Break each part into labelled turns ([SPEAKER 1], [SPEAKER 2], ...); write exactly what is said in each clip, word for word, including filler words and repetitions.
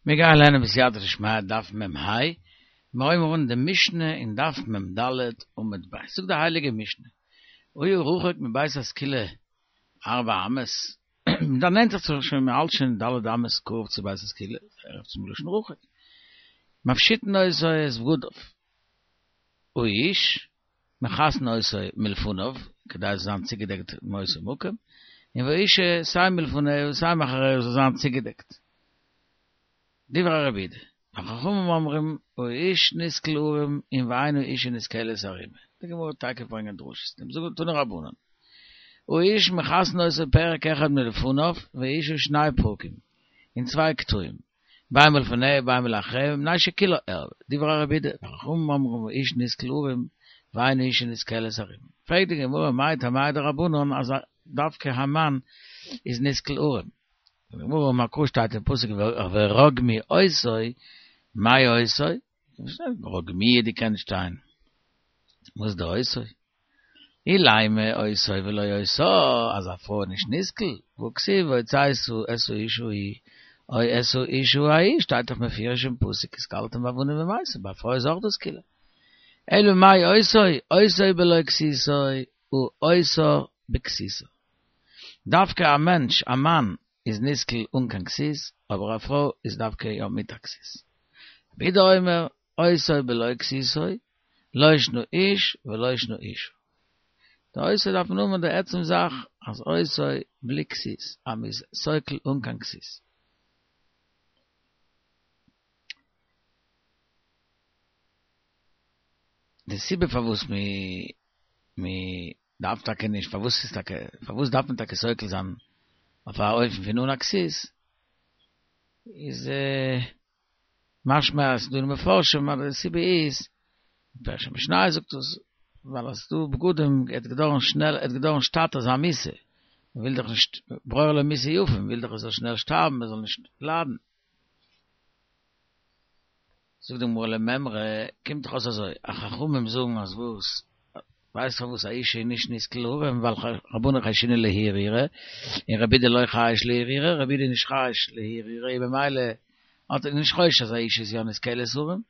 [SPEAKER 1] מיר גייען לערנען בסייעתא דשמיא דף מ ה, מיר הייבן אן די משנה אין דף מ ד עמוד ב', זאגט די הייליגע משנה, היה רחוק מבית הסקילה ארבע אמות, מען דערנענטערט זיך שוין, מען האלט שוין ד' אמות קרוב צו בית הסקילה, ערב צום לשון רחוק, מפשיטין אותו את בגדיו, האיש, מכסין אותו מלפניו, כדי עס זאל זיין צוגעדעקט מאותו מקום, און והאשה סיי מלפניה סיי מאחריה זאל זיין צוגעדעקט. דברי רבי יהודה, וחכמים אומרים האיש נסקל ערום און ואין האשה נסקלת ערומה. די גמרא וועט טאקע ברענגען דרשות דעם זאגן תנו רבנן. האיש מכסין אותו פרק אחד מלפניו והאשה שני פרקים, אין צוויי קטעים, בין מלפניה ובין מלאחריה מפני שכולה ערוה. דברי רבי יהודה, וחכמים אומרים האיש נסקל ערום ואין האשה נסקלת ערומה. פרעגט די גמרא מאי טעמייהו דרבנן אז דווקא א מאן איז נסקל ערום. די גמרא אמר קרא שטייט אין פסוק ורגמו אותו, מאי אותו? רגמוהו די קען שטיין. וואס די אותו? אילימא אותו ולא אותה, אז א פרוי איז נישט נסקל, והכתיב והוצאת את האיש ההוא או את האשה ההיא שטייט דאך מפורש אין פסוק וסקלתם באבנים ומתו, ביי א פרוי איז אויך דא סקילה. אלא מאי אותו, אותו בלא כסותו הא אותה בכסותה. דווקא א מענטש, א מאן, איז נסקל אן קיין כסות, אבער א פרוי איז דווקא יא מיט א כסות. רבי יהודה אומר, אותו בלא כסותו, לא שנא איש ולא שנא אשה. די אותו דארף מען האבן די עצם זאך אז אותו בלי כסות, אז מ'איז סוקל אן קיין כסות. די סיבה פארוואס מ'דארף טאקע נישט, פארוואס איז טאקע, פארוואס דארף מען טאקע סוקל זיין אויף א אופן פון אן א כסות, איז משמע אז ס'דא אין מפרשים אז די סיבה איז, פירוש המשניות זאגט עס, ווייל אז ס'דא בגדים עט געדויערן שנעל, עט געדויערן שטאט אזא מיתה, מ'וויל דאך נישט ברור לו מיתה יפה, מ'וויל דאך ער זאל שנעל שטארבן, ער זאל נישט ליידן. זאגט די גמרא למימרא, קומט דאך אויס אזוי, אז חכמים זאגן אז וואס, ווייסט פארוואס א אישה איז נישט נסקל ערום, ווייל רבנן חיישינן להרהורא, און רבי יהודה לא חייש להרהורא, רבי יהודה איז נישט חייש להרהורא, און במילא האט ער נישט חושש אז א אישה איז יא נסקלת ערום.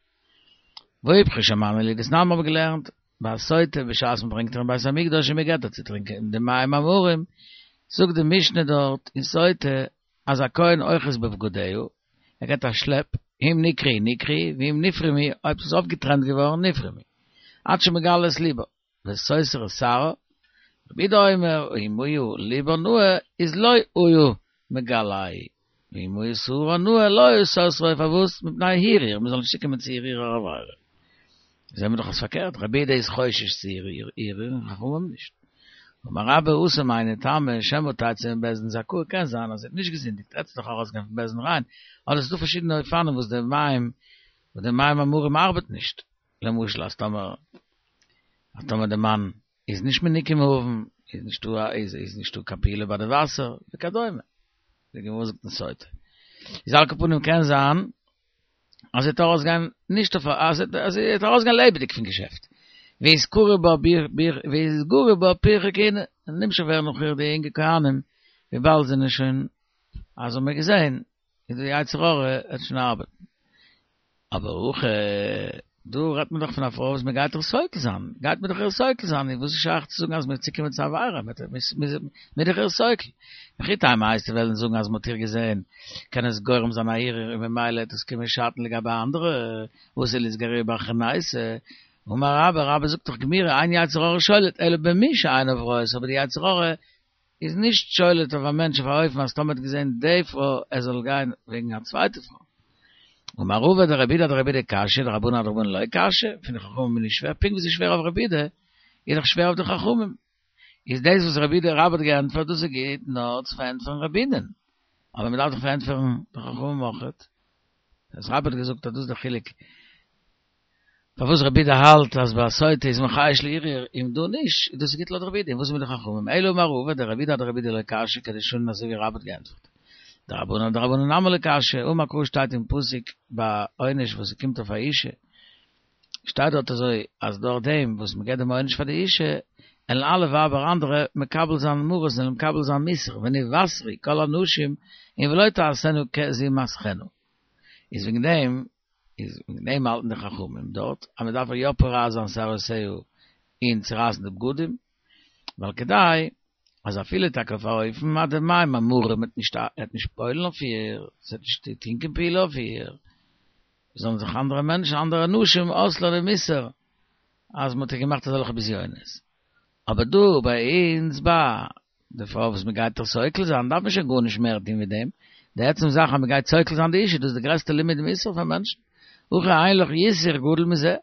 [SPEAKER 1] והא איפכא שמע מינה, דתנן מ'האבן געלערנט בסוטה בשעת מ'ברענגט איר אין בית המקדש און מ'געט איר צו טרינקען די מים המרים, זאגט די משנה דארט אין סוטה אז הכהן אוחז בבגדיה, ער געט א שלעפ, אם נקרעו נקרעו, ואם נפרמו, אויב ס'איז אויפגעטרענט געווארן, נפרמו. עד שמגלה את לבה, וסותר את שערה, רבי יהודה אומר, אם היה לבה נאה, איז לא היה מגלהו, ואם היה שערה נאה, לא היה סותרו, פארוואס? מפני הרהור, מ'זאל נישט צוקומען צו הרהור העבירה. זעהן מיר דאך אז פארקערט, רבי יהודה איז חושש צו הרהור און חכמים נישט. אמר רבה התם היינו טעמא שמא תצא מבית דין זכאה קען זיין אז זי האט נישט געזינדיגט עט זי דאך ארויסגיין פון בית דין ריין אדער ס'איז דא פארשידענע אופנים וואס די מים וואס די מים המרים ארבעט נישט למשל אז טאמער אז טאמער די מאן איז נישט מנוקה מעוון איז נישטא איז איז נישטא קיין פעולה ביי די וואסער וכדומה די גמרא זאגט אין סוטה איז על כל פנים קען זיין אז זי וועט ארויסגיין נישט אויף א, אז זי וועט ארויסגיין לעבעדיג פון געשעפט. ואתגרי בה ואתגרי בה פרחי כהונה, און נמשך ווערן נאך איר די אינגע כהנים, וויבאלד זענען שוין, אז האבן מיר געזען, איז די יצר הרע וועט שוין ארבעטן. אבער הכא, דא רעדט מען דאך פון א פרוי וואס מען גייט איר סוקל זיין, גייט מען דאך איר סוקל זיין, איז וואס איז שייך צו זאגן אז מען וועט צוקומען צו עבירה, מען איז דאך איר סוקל. וכי תימא וועסטו וועלן זאגן אז מ'האט איר געזען, קען עס גורם זיין א הרהור און ממילא וועט עס קומען שאטן לגבי אנדערע, ואתי לאיתגרויי באחרנייתא. אמר רבה, רבה זאגט דאך גמירי, אין יצר הרע שולט אלא במי שעיניו רואות, אבער די יצר הרע איז נישט שולט אויף א מענטש אויף א אופן אז טאמער האט געזען די פרוי ער זאל גיין וועגן א צווייטע פרוי. אמר רבא דרבי יהודה אדרבי יהודה קשיא דרבנן אדרבנן לא קשיא, פון די חכמים איז נישט שווער, פונקט ווי ס'איז שווער אויף רבי יהודה, איז דאך שווער אויף די חכמים. איז דאס וואס רבי יהודה רבה האט געענטפערט דאס איז גוט נאר צו פארענטפערן רבי יהודה'ן, אבער מען דארף דאך פארענטפערן די חכמים אויכעט. אז רבה האט געזאגט אז דאס איז דער חילוק פארוואס רבי יהודה האלט אז ביי סוטה איז מען חייש להרהור און דא נישט, איז דאס גוט לויט רבי יהודה, און וואס איז מיט די חכמים? אלא אמר רבא דרבי יהודה אדרבי יהודה לא קשיא כדשנין אזוי ווי רבה האט געענטפערט. דרבנן אדרבנן נמי לא קשיא, אמר קרא שטייט אין פסוק ביי עונש וואס ס'קומט אויף א אישה, שטייט דארט אזוי אז דורך דעם וואס מ'געט דעם עונש פאר די אישה, עלן אלע ווייבער אנדערע מקבל זיין מרות און מקבל זיין מוסר, ונבשרו כל הנשים און ולא תעשינה כזמתכנה. איז וועגן דעם, איז וועגן דעם האלטן די חכמים דארט, אז מען דארף יא פורע זיין שערותיה און צורייסן די בגדים, ווייל כדי אז אפילו טאקע אויף א אופן אז די מים המרים וועט נישט וועט נישט פועל'ן אויף איר, ס'וועט נישט טון קיין פעולה אויף איר, זאלן זיך אנדערע מענטשן, אנדערע נשים אויסלערנען מוסר אז מ'האט איר געמאכט אזעלכע בזיונות. אבער דא ביי אונז ביי די פרוי וואס מ'גייט איר סוקל זיין דארף מען שוין גארנישט מער טון ווי דעם, די עצם זאך אז מ'גייט סוקל זיין די אישה דאס איז די גרעסטע לימוד מוסר פאר מענטשן, הכא אין לך יסור גדול מזה.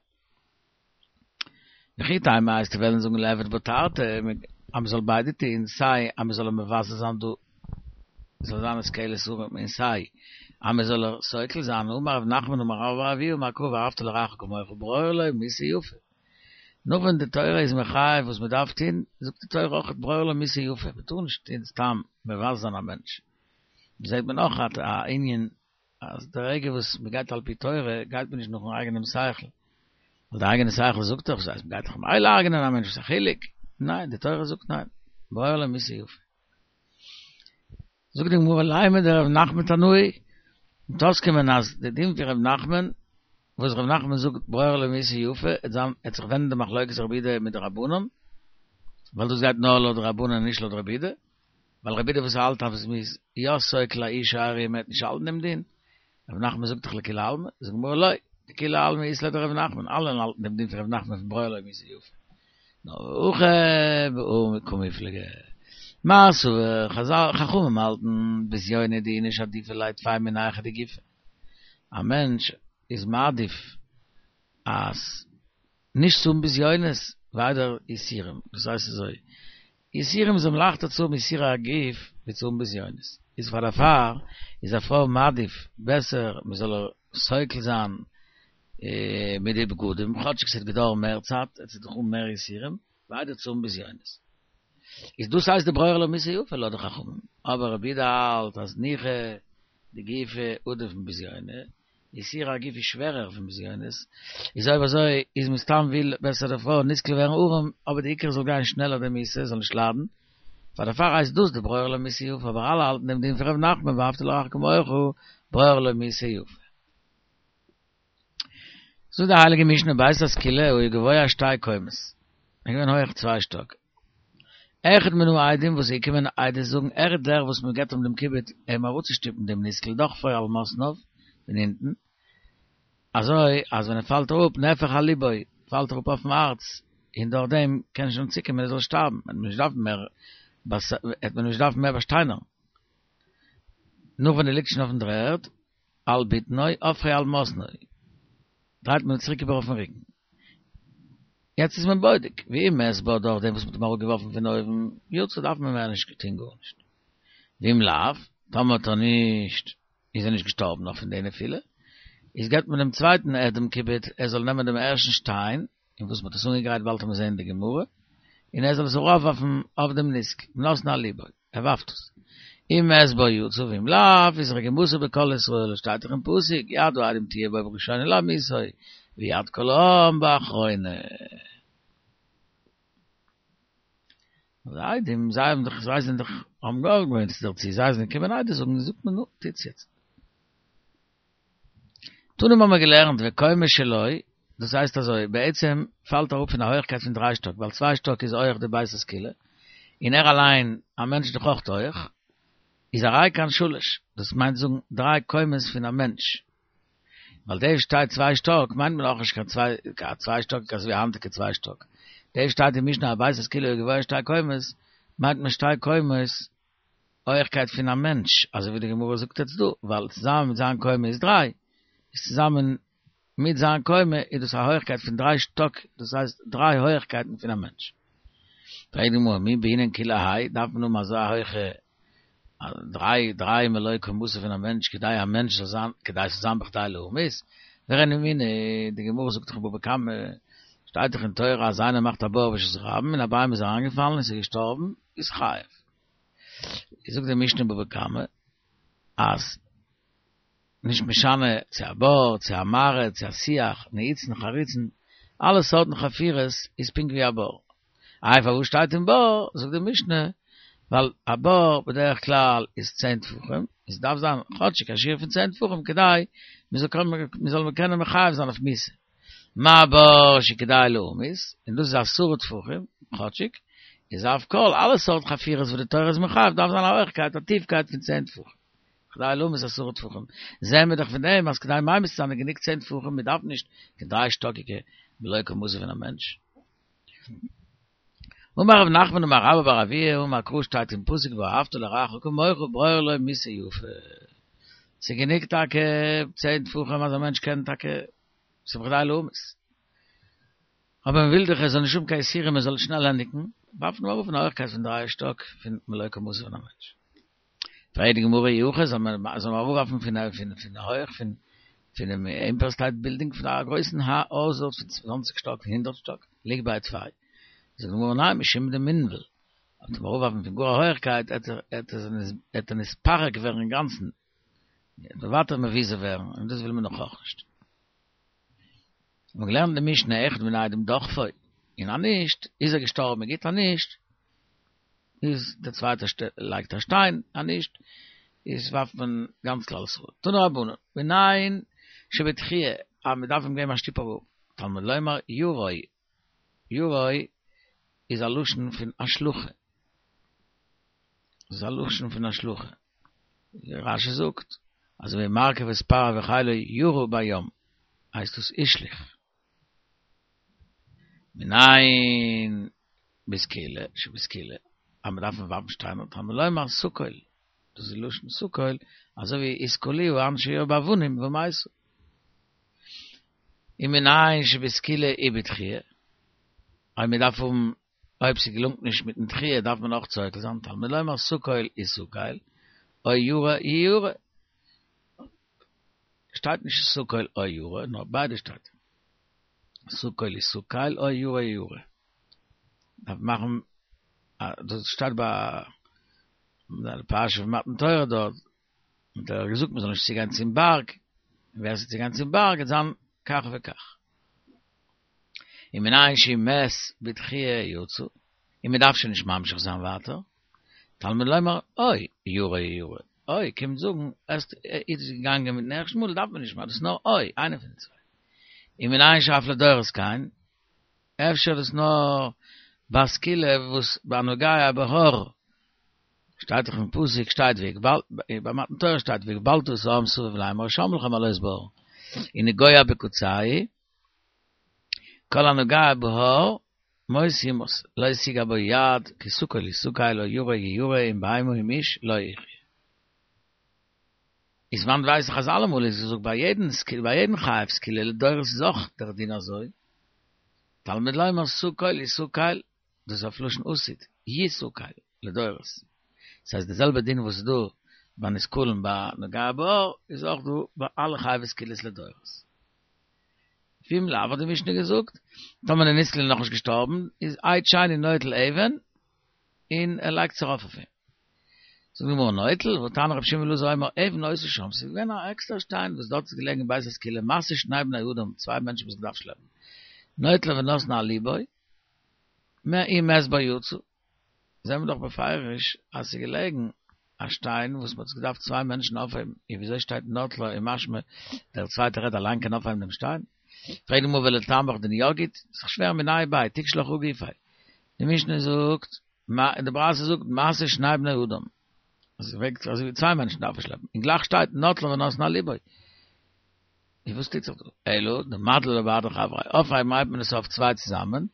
[SPEAKER 1] וכי תימא וועסטו וועלן זאגן ליעבד בה תרתי, אז מ'זאל ביידע טון, סיי אז מ'זאל איר מבזה זיין דא, זאל זיין סקילת הרים, און סיי אז מ'זאל איר סוקל זיין, אמר רב נחמן אמר רבה בר אבוה אמר קרא ואהבת לרעך כמוך ברור לו מיתה יפה. נאך ווען די תורה איז מחייב וואס מ'דארף טון, זאגט די תורה אויך ברור לו מיתה יפה, מ'טאר נישט טון סתם מבזה זיין א מענטש. זעט מען אויך א ענין אז די רגע וואס מ'גייט על פי תורה גייט מען נישט נאכן אייגענעם שכל, ווייל די אייגענע שכל זאגט דאך, אז מ'גייט דאך ממילא הרג'נען א מענטש, וואס איז א חילוק? ניין, די תורה זאגט ניין, ברור לו מיתה יפה. זאגט די גמרא לימא דרב נחמן תנאי, וועט אויסקומען אז די דין פון ר' נחמן, וואס ר' נחמן זאגט ברור לו מיתה יפה, עט זיין, עט זיך ווענדן די מחלוקת רבי יהודה מיט די רבנן, ווייל דאס גייט נאר לויט די רבנן נישט לויט רבי יהודה, ווייל רבי יהודה וואס האלט אז מ'איז יא סוקל א אישה עריה מ'עט נישט האלטן דעם דין, רב נחמן זאגט דאך לכולי עלמא, זאגט די גמרא לא, דכולי עלמא אית להו דרב נחמן, אלע האלטן דעם דין פון רב נחמן פון ברור לו מיתה יפה. נאר הכא בהא קמיפלגי. מר סבר, חזל, חכמים האלטן בזיונא דאיניש עדיפא ליה טפי מנייחא דגופיה. א מענטש איז מעדיף אז נישט צו האבן בזיונות ווי איידער יסורים, דאס הייסט אזוי, יסורים איז אים לייכטער צו האבן יסורי הגוף ווי צו האבן בזיונות, איז פאר דערפאר איז א פרוי מעדיף בעסער מען זאל איר סוקל זיין מיט די בגדים, כאטשיג ס'וועט געדויערן מער צייט, עס וועט דאך האבן מער יסורים, ווי איידער צו האבן בזיונות. איז דאס הייסט די ברור לו מיתה יפה לויט די חכמים, אבער רבי יהודה האלט אז נייחא דגופא עדיף מבזיוני, יסורי הגוף איז שווערער פון בזיונות, איז אויב אזוי איז מסתם וויל בעסער די פרוי נסקל ווערן ערום, אבער די עיקר זאל גיין שנעלער די מיתה, זאל נישט ליידן, פאר דערפאר הייסט דאס די ברור לו מיתה יפה, אבער אלע האלטן דעם דין פון ר' נחמן ואהבת לרעך כמוך, ברור לו מיתה יפה. זאגט די הייליגע משנה בית הסקילה היה גבוה שתי קומות, איז געווען הויעך צוויי שטאק, אחד מן העדים וואס איז געקומען עדות זאגן ער איז דער וואס מען געבט אים דעם כיבוד אים אראפצושטופן דעם נסקל דוחפו על מתניו פון אונטן אזוי אז ווען ער פאלט אראפ נהפך על לבו פאלט אראפ אויפן הארץ און דורך דעם קען שוין צוקומען ער זאל שטארבן וועט מען נישט דארפן מער וועט מען נישט דארפן מער באשטיינערן נאך ווען ער ליגט שוין אויפן דר'ערד על בטנו הופכו על מתנו דרייט מען צוריק איבער אויפן רוקן. יעצט איז מען בודק, ואם מת בה דורך דעם וואס מ'האט אים אראפגעווארפן פון אויבן, יצא דארף מען מער נישט טון גארנישט. ואם לאו, טאמער האט ער נישט, איז ער נישט געשטארבן נאך פון די נפילה, איז געבט מען דעם צווייטן עד דעם כיבוד, ער זאל נעמען דעם ערשטן שטיין, אין וואס מ'האט עס אנגעגרייט באלד וועט מען זען אין די גמרא, און ער זאל עס ארויפווארפן אויף דעם נסקל, ונתנו על לבו. ער ווארפט עס. אם מת בה יצא ואם לאו איז רגימתו בכל ישראל, עס שטייט דאך אין פסוק יד העדים תהיה בו בראשונה להמיתו ויד כל העם באחרונה. די עדים זיי האבן דאך זיי זענען דאך האבן געוואוינט דערצו זיי זענען געקומען עדות זאגן זאגט מען נו טוטס יעצט. תנא האבן מיר געלערנט וקומה שלו, דאס הייסט אזוי, בעצם פאלט אראפ פון א הויכקייט פון דריי שטאק, ווייל צוויי שטאק איז הויעך די בית הסקילה, און ער אליין, א מענטש איז דאך אויך הויעך, איז הרי כאן שלש, דאס מיינט זאגן דריי קומות פון א מענטש. ווייל דא שטייט צוויי שטאק מיינט מען אויך נישט קיין צוויי צוויי שטאק אזוי ווי היינטיגע צוויי שטאק. דא שטייט אין משנה אז בית הסקילה גבוה שתי קומות, מיינט מען שתי קומות הויעכקייט פון א מענטש, אזוי ווי די גמרא זאגט יעצט דא, ווייל צוזאמען מיט זיין קומה איז דריי, איז צוזאמען מיט זיין קומה איז דאס א הויעכקייט פון דריי שטאק, דאס הייסט דריי הויעכקייטן פון א מענטש. פרעגט די גמרא, מי בעינן כולי האי, דארף מען האבן אזא הויכע דריי דריי מלא קומתו פון א מענטש כדי א מענטש זאל זיין, כדי ס'זאל זיין בכדי להמית? ורנינהו, די גמרא זאגט דאך אין בבא קמא, שטייט דאך אין תורה אז איינער מאכט א בור ברשות הרבים און א בהמה איז אריינגעפאלן און ס'איז געשטארבן, איז חייב. זאגט די משנה בבא קמא אז נישט משנה צו א בור, צו א מערה, צו א שיח, נעיצין, חריצין, אלע סארטן חפירות איז פונקט ווי א בור. איי פארוואס שטייט אין בור? זאגט די משנה ווייל א בור בדרך כלל איז צען טפחים, עס דארף זיין כאטשיג א שיעור פון צען טפחים כדי מען זאל קענען מען זאל קענען מחייב זיין אויף מיתה. מה בור שכדאי להמית, און דאס איז עשרה טפחים, כאטשיג, איז אף כל, אלע סארט חפירות וואס די תורה איז מחייב דארף זיין א הויכקייט, א טיפקייט פון צען טפחים. כדאי להמית עשרה טפחים. זעהן מיר דאך פון דעם אז כדי ממית צו זיין איז גענוג צען טפחים, מען דארף נישט קיין דריי שטאקיגע מלא קומתו פון א מענטש. אמר רב נחמן אמר רבה בר אבוה אמר קרא שטייט אין פסוק ואהבת לרעך כמוך ברור לו מיתה יפה. ס'גענוג טאקע צען טפחים אז א מענטש קען טאקע ס'איז בכדי להמית. אבער מען וויל דאך ער זאל נישט האבן קיין יסורים ער זאל שנעל ענדיגן, ווארפט מען אראפ פון א הויכקייט פון דריי שטאק פון מלא קומתו פון א מענטש. פרעגט די גמרא אי הכי זאל מען זאל מען אראפווארפן פון פון פון הויך פון פונעם עמפייער סטעיט בילדינג פון א גרויסן הויז דארט פון צוואנציג שטאק פון הונדערט שטאק ליגביה טפי. זאגט די גמרא ניין משום דמינבל אויב מען אראפווארפן פון גאר א הויכקייט עט ער עט ער נתפרק ווערן אינגאנצן ווייטער מבוזה ווערן און דאס וויל מען נאך אויך נישט. מ'האט געלערנט די משנה אחד מן העדים דחפו און אז נישט איז ער געשטארבן גוט אז נישט איז דער צווייטער לייגט א שטיין אז נישט איז ווארפט מען גאנץ כלל ישראל. תנו רבנן מנין שבדחיה אז מען דארף אים געבן א שטופ אראפ תלמוד לומר ירוי ירוי איז א לשון פון השלכה. איז א לשון פון השלכה. רשי זאגט אזוי ווי מרכבות פרעה וחילו ירה בים הייסט דאס השליך. מנין בסקילה שבסקילה אז מען דארף ווארפן שטיינער תלמוד לומר סקול דאס איז לשון סקול אזוי ווי וסקלוה אנשי העיר באבנים ומתו. ומנין שבסקילה ובדחיה אויב מען דארף האבן אויב ס'געלונגט נישט מיטן דחיה דארף מען אויך סוקל זיין תלמוד לומר סקול יסקל או ירה יירה שטייט נישט סקול או ירה נאר ביידע שטייט סקול יסקל או ירה יירה דארף מאכן דאס שטייט ביי דער פרשה פון מתן תורה דארט האט ער געזאגט מ'זאל נישט צוגיין צום בארג און ווער ס'וועט צוגיין צום בארג וועט זיין כך וכך ומנין שאם מת בדחיה יצא און מ'דארף שוין נישט ממשיך זיין ווייטער תלמוד לומר או ירה יירה או קומט זאגן עס איז געגאנגען מיטן ערשטן מאל דארף מען נישט מער דאס נאר או איינער פון די צוויי ומנין שאף לדורות כן אפשר דאס נאר בסקילה וואס בנוגע בהר שטייט דאך אין פסוק שטייט והגבל ביי מתן תורה שטייט והגבלת את העם סביב לאמור שם לכם עלות בהר ונגוע בקצהו כל הנוגע בהר מות יומת לא תגע בו יד כי סקול יסקל או ירה יירה אם בהמה אם איש לא יחיה איז וואנעט ווייס איך אז אלעמאל איז געזאגט ביי יעדן סקיל ביי יעדן חייב סקילה לדורות איז אויך דער דין אזוי תלמוד לומר סקול יסקל דאס איז אויף לשון עתיד יסקל לדורות דאס הייסט די זעלבע דין וואס איז דא ביי נסקלין ביי נוגע בהר איז אויך דא ביי אלע חייבי סקילות לדורות ואם לאו האט די משנה געזאגט טאמער די נסקל איז נאכנישט געשטארבן איז עד שני נוטל אבן און ער לייגט זיך ארויף אויף אים זאגט די גמרא נוטל והתניא רבי שמעון בן אלעזר אומר אבן היתה שם ס'איז געווען א עקסטערע שטיין וואס דארט איז געלעגן בית הסקילה משא שני בני אדם צוויי מענטשן וואס געדארפט שלעפן נוטלה ונתנה על לבו אם מת בה יצא זעהן מיר דאך בפירוש אז ס'איז געלעגן א שטיין וואס מ'האט עס געדארפט צוויי מענטשן אויפהייבן, און וויאזוי שטייט נוטלה און משמע דער צווייטער רעדט אליין קען אויפהייבן דעם שטיין? פרעגט די גמרא ולטעמיך דניגוד, ס'איז דאך שווער מיניה וביה, תיקשי לך הא גופיה. די משנה זאגט, די ברייתא זאגט משא שני בני אדם, אז עס וועגט אזוי ווי צוויי מענטשן דארפן שלעפן, און גלייך שטייט נוטלה ונתנה על לבו. איז וואס טוט זיך דא? אלא דמדלי לה בהדי חבריה, אויפהייבן הייבט מען עס אויף צוויי צוזאמען,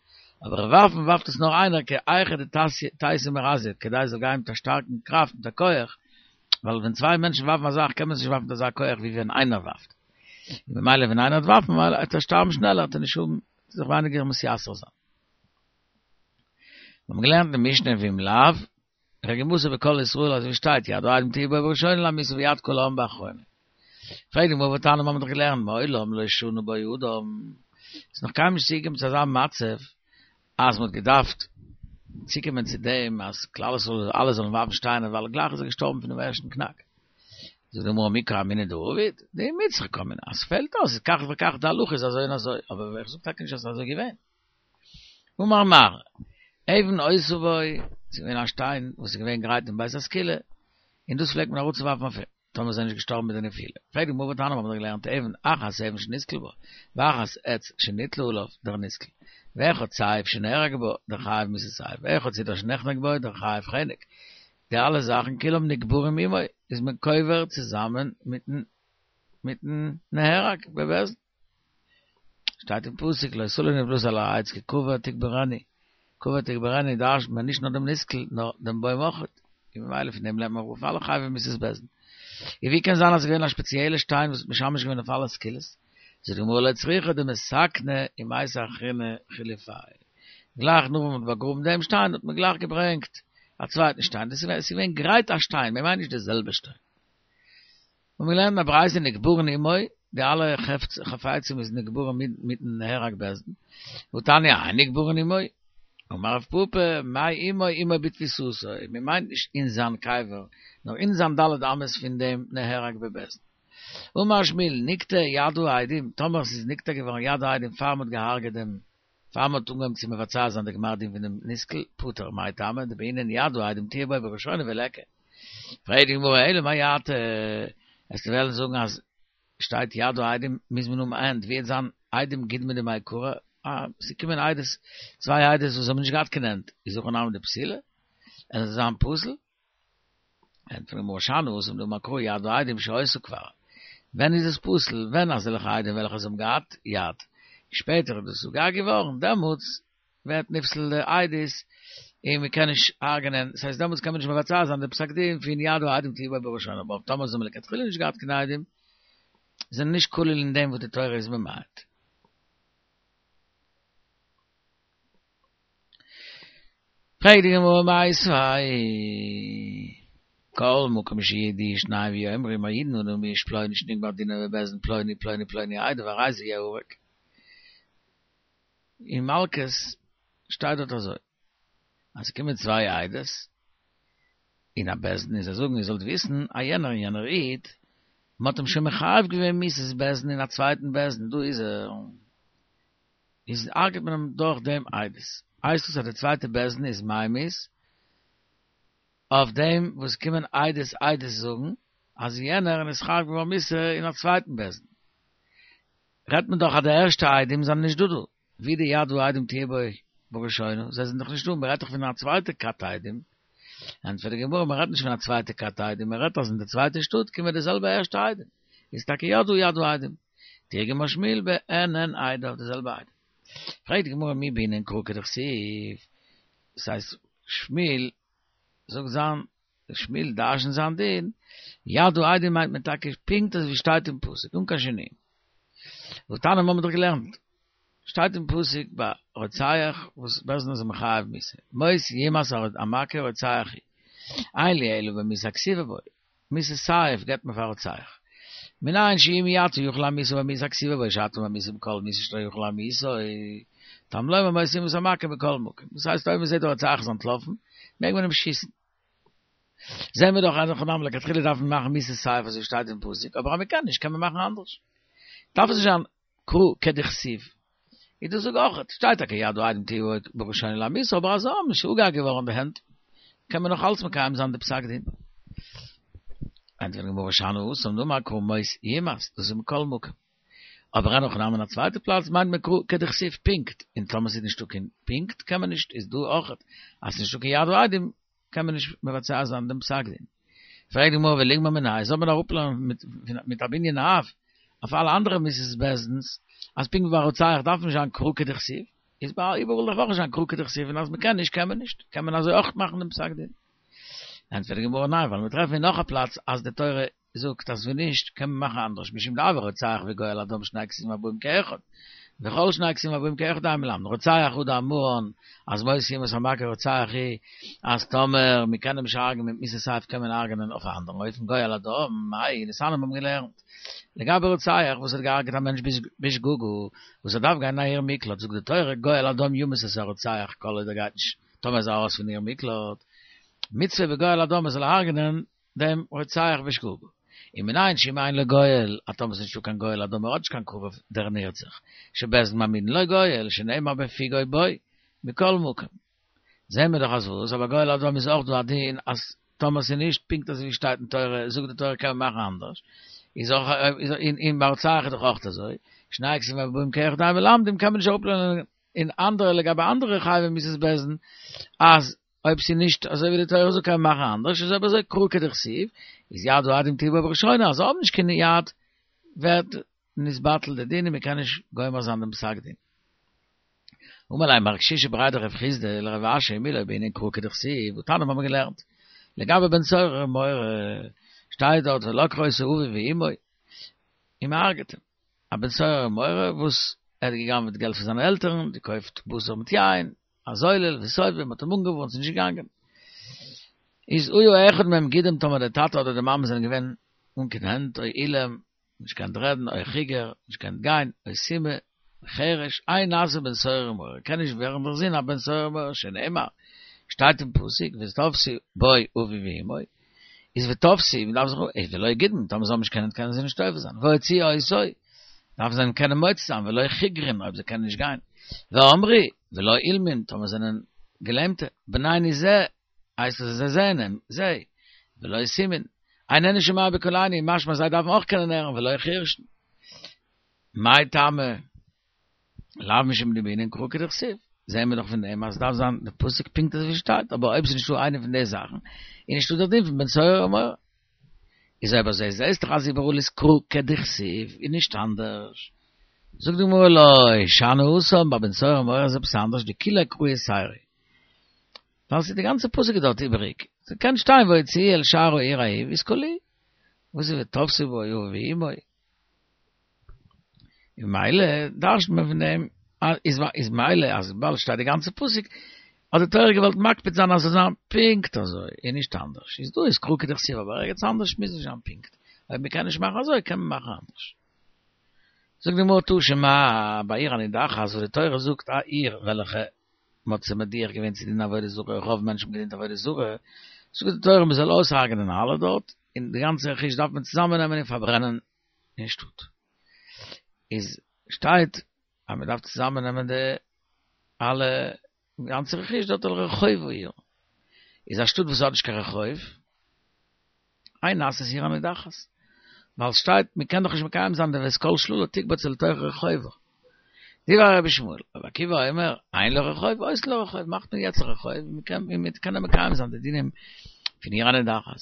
[SPEAKER 1] אבער ווארפן ווארפט עס נאר איינער כי היכי דתיתי מרזיא, כדי עס זאל גיין מיט א שטארקן קראפט מיט א כח, ווייל ווען צוויי מענטשן ווארפן א זאך קען מען עס נישט ווארפן מיט אזא כח ווי ווען איינער ווארפט. און ממילא ווען איינער וועט ווארפן ממילא וועט ער שטארבן שנעלער וועט ער נישט האבן זיך ווייניגער מתייסר זיין. מיר האבן געלערנט אין משנה ואם לאו, רגמתו בכל ישראל אזוי ווי שטייט יד העדים תהיה בו בראשונה למיתה ויד כל העם באחרונה. פרעגט די גמרא והתניא מיר האבן דאך געלערנט מעולם לא שנה בו אדם, ס'איז נאך קיינמאל נישט צוגעקומען צו אזא מצב אז מ'האט געדארפט צוקומען צו דעם אז כלל ישראל אלע זאלן ווארפן שטיינער ווייל גלייך איז ער געשטארבן פונעם ערשטן קנאק. זאגט די גמרא מי קאמינא דעביד, דאימצריך קאמינא, אז ס'פעלט אויס איז כך וכך די הלכה איז אזוי און אזוי, אבער איך זאג טאקע נישט אז ס'איז אזוי געווען. אמר מר, אבן היתה בו, ס'איז געווען א שטיין וואס איז געווען גרייט אין בית הסקילה, און דאס פלעגט מען אראפצואווארפן אויף אים, טאמער איז ער נישט געשטארבן מיט די נפילה. פרעגט די גמרא והתניא האבן מיר געלערנט אבן אחת אבן שנסקל בה, ואחת עץ שניתלה עליו, דער נסקל, ואחד סייף שנהרג בה, דער חייב מיתת סייף, ואחד צידער שנחנק בה, דער חייב חנק. די אלע זאכן כולם נקברים עמו, איז מען קובר צוזאמען מיטן מיטן נהרג בבית דין. שטייט אין פסוק לא תלין נפלתי על העץ כי קבור תקברני, קבור תקברני דרש'נט מען נישט נאר דעם נסקל נאר דעם בוים אויכעט, און ממילא פון דעם לערנט מען אראפ אלע חייבי מיתות בית דין. און ווי קען זיין אז ס'איז געווען א שפעציעלע שטיין וואס האט משמש געווען אויף אלע סקילות? זאגט די גמרא לא צריכא דמתקנא ומייתי אחרינא חילופייהו. גלייך נאך וואס מ'האט באגראבן דעם שטיין האט מען גלייך געברענגט א צווייטן שטיין, דאס איז געווען גרייט א שטיין, מען מיינט נישט די זעלבע שטיין. און מיר לערנען א ברייתא נקברין עמו, די אלע חפצים איז נקברין מיטן נהרג בית דין, והתניא אין נקברין עמו, אמר רב פפא, מאי עמו עמו בתפיסתו, מען מיינט נישט אין זיין קבר, נאר אין זיין ד' אמות פון דעם נהרג בבית דין. אמר שמואל, נקטע יד העדים, טאמער ס'איז נקטע געווארן יד העדים פאר מ'האט געהארגעט דעם, פאר מ'האט אנגעהויבן צו מבצע זיין די גמר דין פון דעם נסקל, פטור, מאי טעמא, דבעינן יד העדים תהיה בו בראשונה וליכא. פרעגט די גמרא אלא מעתה, וועסטו וועלן זאגן אז שטייט יד העדים מוז מען האבן הענט, ווי וועט זיין עדים קודמא דמעיקרא, אה, ס'קומען עדות, צוויי עדות וואס האבן נישט געהאט קיין הענט, איז הכי נמי דפסילי? עס זאל זיין פסול? ענטפערט די גמרא שאני התם דאמר קרא יד העדים שהיתה כבר, ווען איז עס פסול? ווען אזעלכע עדים וועלכע זיי האבן געהאט יד, שפעטער איז דאס אפגעהאקט געווארן, דעמאלטס ווערט נפסל די עדות און מען קען נישט הרג'נען, ס'הייסט דעמאלטס קען מען נישט מבצע זיין די פסק דין פון יד העדים תהיה בו בראשונה, אבער טאמער זיי האבן לכתחילה נישט געהאט קיין עדים, זענען נישט כולל אין דעם וואס די תורה איז ממעט. פרעגט די גמרא מיתיבי כל מקום שיעידו שניים ויאמרו מעידין אנו מאיש פלוני שנגמר דינו בבית דין פלוני פלוני פלוני עדיו הרי זה יהרג. אין מלקות שטייט דארט אזוי, אז ס'קומען צוויי עדות אין א בית דין און זיי זאגן איר זאלט וויסן אז יענער און יענער איד, מ'האט אים שוין מחייב געווען מיתת בית דין אין א צווייטן בית דין, דא איז ער, איז הרג'ט מען אים דורך דעם עדות. הייסט עס אז די צווייטע בית דין איז ממית אויף דעם וואס קומען עדות עדות זאגן אז יענער איז נתחייב געווארן מיתה אין א צווייטן בית דין. רעדט מען דאך אז די ערשטע עדים זענען נישט דא דא, ווי די יד העדים תהיה בו בראשונה, זיי זענען דאך נישט דא, מען רעדט דאך פון א צווייטע כת עדים, ענטפערט די גמרא מען רעדט נישט פון א צווייטע כת עדים, מען רעדט אז אין די צווייטע שטאט קומען די זעלבע ערשטע עדים, איז טאקע יא דא יד העדים, תרגמה שמואל בעינן עדיו די זעלבע עדים. פרעגט די גמרא מי בעינן קרא כדכתיב, דאס הייסט שמואל זאגט זיין שמואל דרש'נט זיין דין, יד העדים מיינט מען טאקע פונקט אזוי ווי שטייט אין פסוק, אן קיין שינויים. והתניא האבן מיר דאך געלערנט, שטייט אין פסוק ביי רוצח וואס בית דין איז מחייב מיתה, מות יומת המכה רוצח הוא, אין לי אלא במיתה הכתובה בו, מיתת סייף געבט מען פאר רוצח. מנין שאם אתה יכול להמיתו במיתה הכתובה בו שאתה ממיתו בכל מיתה שאתה יכול להמיתו, תלמוד לומר מות יומת המכה בכל מקום. דאס הייסט אויב מען זעט דער רוצח איז אנטלאפן, מעג מען אים שיסן. זעהן מיר דאך אז אין הכי נמי לכתחילה דארף מען מאכן מיתת סייף אזוי שטייט אין פסוק, אבער אז מען קען נישט קען מען מאכן אנדערש. דארף עס נישט זיין קרא כדכתיב. איז דאס זאג אויך, שטייט טאקע יד העדים תהיה בו בראשונה להמיתו, אבער אז זיי האבן נישט אפגעהאקט געווארן די הענט, קען מען נאך אלץ מקיים זיין די פסק דין. ענטפערט די גמרא שאני התם דאמר קרא מות יומת, דאס איז מכל מקום. אבער אין הכי נמי אין א צווייטע פלאץ מיינט מען קרא כדכתיב פונקט, און טאמער ס'איז נישטא קיין פונקט קען מען נישט, איז דא אויך אז ס'איז נישטא קיין יד העדים קען מען נישט מבצע זיין דעם פסק דין. פרעגט די גמרא וליגמר מיניה, זאל מען אראפלערנען מיט א בנין אב אויף אלע אנדערע מיתות בית דין'ס, אז פונקט ווי ביי רוצח דארף נישט זיין קרא כדכתיב, איז ביי איבעראל דארף אויך נישט זיין קרא כדכתיב און אז מ'קען נישט קען מען נישט, קען מען אזוי אויך מאכן דעם פסק דין. ענטפערט די גמרא ניין, ווייל מיר טרעפן אין נאך א פלאץ אז די תורה זאגט אז ווען נישט קען מען מאכן אנדערש משום דהוי רוצח וגואל הדם שני כתובים הבאים כאחד וכל שני כתובים הבאים כאחד אין מלמדין רוצח הוא דאמרן אז מות יומת המכה רוצח הוא אז טאמער מען קען אים נישט הרג'ענען מיט מיתת סייף קען מען הרג'ענען אויף א אנדערן אופן גואל הדם מאי דתניא מיר האבן געלערנט לגבי רוצח וואס האט געהרג'עט א מענטש בשגגה וואס ער דארף גיין אין א עיר מקלט זאגט די תורה גואל הדם ימית את הרוצח כל עוד ער גייט נישט טאמער איז ער ארויס פון עיר מקלט מצוה בגואל הדם ער זאל הרג'ענען דעם רוצח בשגגה. ומנין שאם אין לו גואל, אז טאמער ס'איז נישטא קיין גואל הדם ער האט נישט קיין קרוב דער נרצח, שבית דין מעמידין לו גואל, שנאמר בפגעו בו, מכל מקום. זעהן מיר דאך אז וואס, אבער גואל הדם איז אויך דא א דין אז טאמער ס'איז נישט פונקט אזוי ווי שטייט אין תורה, זאגט די תורה קען מען מאכן אנדערש. איז אויך אין אין ביי רוצח איז דאך אויך אזוי. שני כתובים הבאים כאחד אין מלמדים קען מען נישט אראפלערנען אין אנדערע לגבי אנדערע חייבי מיתות בית דין אז אויב ס'איז נישט אזוי ווי די תורה זאגט קען מען מאכן אנדערש, איז אויב אזוי קרא כדכתיב, איז יד העדים תהיה בו בראשונה, אז זיי האבן נישט קיין יד ווערט נתבטל די דין און מ'קען נישט גומר זיין דעם פסק דין. אמר ליה מר קשישא בריה דרב חסדא לרב אשי מי לא בעינן קרא כדכתיב, והתניא האבן מיר געלערנט לגבי בן סורר ומורה, שטייט דארט ולקחו אותו אביו ואמו און מ'הרג'עט אים, א בן סורר ומורה וואס ער האט גע'גנב'עט געלט פון זיינע עלטערן, געקויפט בשר מיט יין, א זולל וסובא, מ'האט אים אנגעווארנט ס'איז נישט געגאנגען. איז היה אחד מהם גידם טאמער דער טאטע אדער די מאמע זענען געווען אן קיין הענט או אילם, נישט געקענט רעדן, או חיגר, נישט געקענט גיין, או סומא, חרש, אין נעשה בן סורר ומורה, קען נישט ווערן דער זון א בן סורר ומורה, שנאמר, שטייט אין פסוק, ותפשו בו אביו ואמו, איז ותפשו, מען דארף זיך, איז ולא גידם, טאמער זיי האבן נישט קיין הענט קענען זיי נישט תופס זיין, והוציאו אותו, דארפן זיי אים קענען מוציא זיין, ולא חיגרין, אויב זיי קענען נישט גיין, ואמרו, ולא אילמין, טאמער זענען געלעמטע, בנינו זה, הייסט עס אז זיי זעען אים, זיי, ולא סומין, איננו שומע בקולנו, משמע זיי דארפן אויך קענען הערן, ולא חירשין. מאי טעמא לאו משום דבעינן קרא כדכתיב, זעען מיר דאך פון דעם אז עס דארף זיין די פסוק פונקט אזוי ווי שטייט, אבער אויב עס איז נישטא איינע פון די זאכן, איז נישטא דער דין פון בן סורר ומורה. איז אויב אזוי זעסט דאך אז איבעראל איז קרא כדכתיב און נישט אנדערש. זאגט די גמרא לא שאני התם, ביי בן סורר ומורה איז עפעס אנדערש, דכוליה קרא יתירא. ווייל ס'איז די גאנצע פסוק איז דארט איבעריג. ס'קען שטיין והוציאוהו אל שער העיר ההיא ויסקלוהו. וואס איז ותפשו בו אביו ואמו? און ממילא דרש'נט מען פון דעם איז איז ממילא אז וויבאלד שטייט די גאנצע פסוק האט די תורה געוואלט מקפיד זיין אז ס'זאל זיין פונקט אזוי און נישט אנדערש. איז דא איז קרא כדכתיב אבער ערגעץ אנדערש מוז נישט זיין פונקט. אויב מ'קען נישט מאכן אזוי קען מען מאכן אנדערש. זאגט די גמרא תא שמע ביי עיר הנידחת וואס די תורה זאגט א עיר וועלכע מ'האט זיי מדיח געווען צו דינען עבודה זרה, רוב מענטשן האבן געדינט עבודה זרה, זאגט די תורה מ'זאל אויסהרג'נען אלע דארט, און די גאנצע רכוש דארף מען צוזאמען נעמען און פארברענען אין שטאט. איז שטייט אז מ'דארף צוזאמען נעמען די אלע גאנצע רכוש דארט אל רחוב העיר. איז א שטאט וואס האט נישט קיין רחוב, אין נעשית עיר הנידחת. ווייל שטייט מען קען דאך נישט מקיים זיין די ואת כל שללה תקבץ אל תוך רחובה. דברי רבי ישמעאל, רבי עקיבא אומר, אין לה רחוב, עושין לה רחוב, מאכט מען יעצט א רחוב, מען קען מען קען מקיים זיין די דינים פון עיר הנידחת.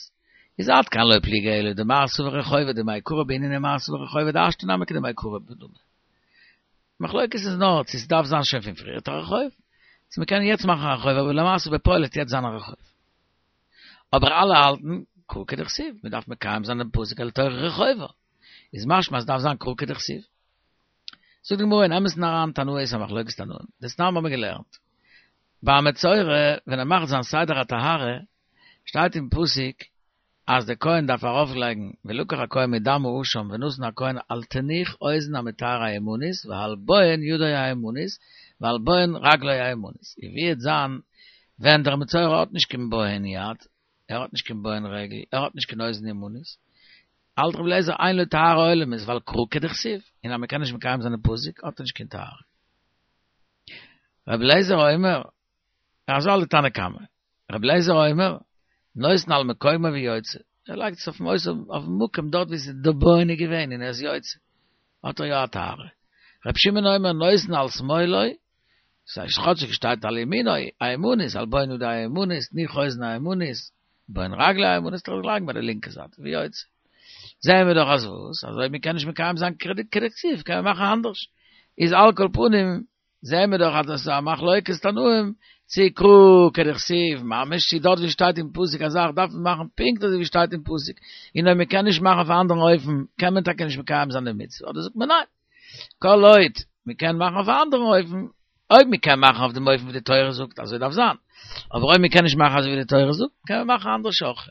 [SPEAKER 1] איז עד כאן לא פליגי אלא דמר סבר רחובה דמעיקרא בעינן ומר סבר רחובה דהשתא נמי כדמעיקרא דמי. מחלוקת איז נאר צו ס'דארף זיין שוין פון פריערט א רחוב, צו מ'קען יעצט מאכן א רחוב אבער למעשה בפועל וועט יעצט זיין א רחוב. אבער אלע האלטן קרא כדכתיב, מען דארף מקיים זיין דעם פסוק אל תוך רחובה, איז משמע אז ס'דארף זיין קרא כדכתיב. זאגט די גמרא אין אמת'ן אריין תנאי איז א מחלוקת תנאים, דתנן האבן מיר געלערנט ביי א מצורע ווען ער מאכט זיין סדר הטהרה שטייט אין פסוק אז דער כהן דארף ארויף לייגן ולקח הכהן מדם האשם ונתן הכהן על תנוך אוזן המטהר הימנית ועל בוהן ידו הימנית ועל בוהן רגלו הימנית, און ווי וועט זיין ווען דער מצורע האט נישט קיין בוהן יד, ער האט נישט קיין בוהן רגל, ער האט נישט קיין אוזן ימנית, האלט רבי אליעזר אין לו טהרה עולמית ווייל קרא כדכתיב, און אז מען קען נישט מקיים זיין די פסוק האט ער נישט קיין טהרה. רבי אליעזר אומר, אזוי האלט די תנא קמא, רבי אליעזר אומר, נותן על מקומו ויוצא, ער לייגט עס אויפן אויפן מקום דארט ווי ס'איז די בוהן איז געווען און ער איז יוצא, האט ער יא א טהרה. רבי שמעון אומר נותן על שמאלו, ס'הייסט כאטשיג שטייט על ימינו, הימנית, על בוהן ידו הימנית, תנוך אוזנו הימנית, בוהן רגלו הימנית, זאל ער לייגן ביי די לינקע זייט, ויוצא. זעען מיר דאך אז וואס? אז אויב מ'קען נישט מקיים זיין כדכתיב קען מען מאכן אנדערש. איז על כל פנים זעען מיר דאך אז דאס איז א מחלוקת תנאים, צי קרא כדכתיב ממש, צי דארט ווי שטייט אין פסוק א זאך דארף מען מאכן פונקט אזוי ווי שטייט אין פסוק, און אויב מען קען נישט מאכן אויף א אנדערן אופן קען מען טאקע נישט מקיים זיין די מצוה, אדער זאגט מען ניין, כל עוד מען קען מאכן אויף א אנדערן אופן, אויב מען קען מאכן אויף דעם אופן ווי די תורה זאגט אזוי דארף זיין, אבער אויב מען קען נישט מאכן אזוי ווי די תורה זאגט קען מען מאכן אנדערש אויך.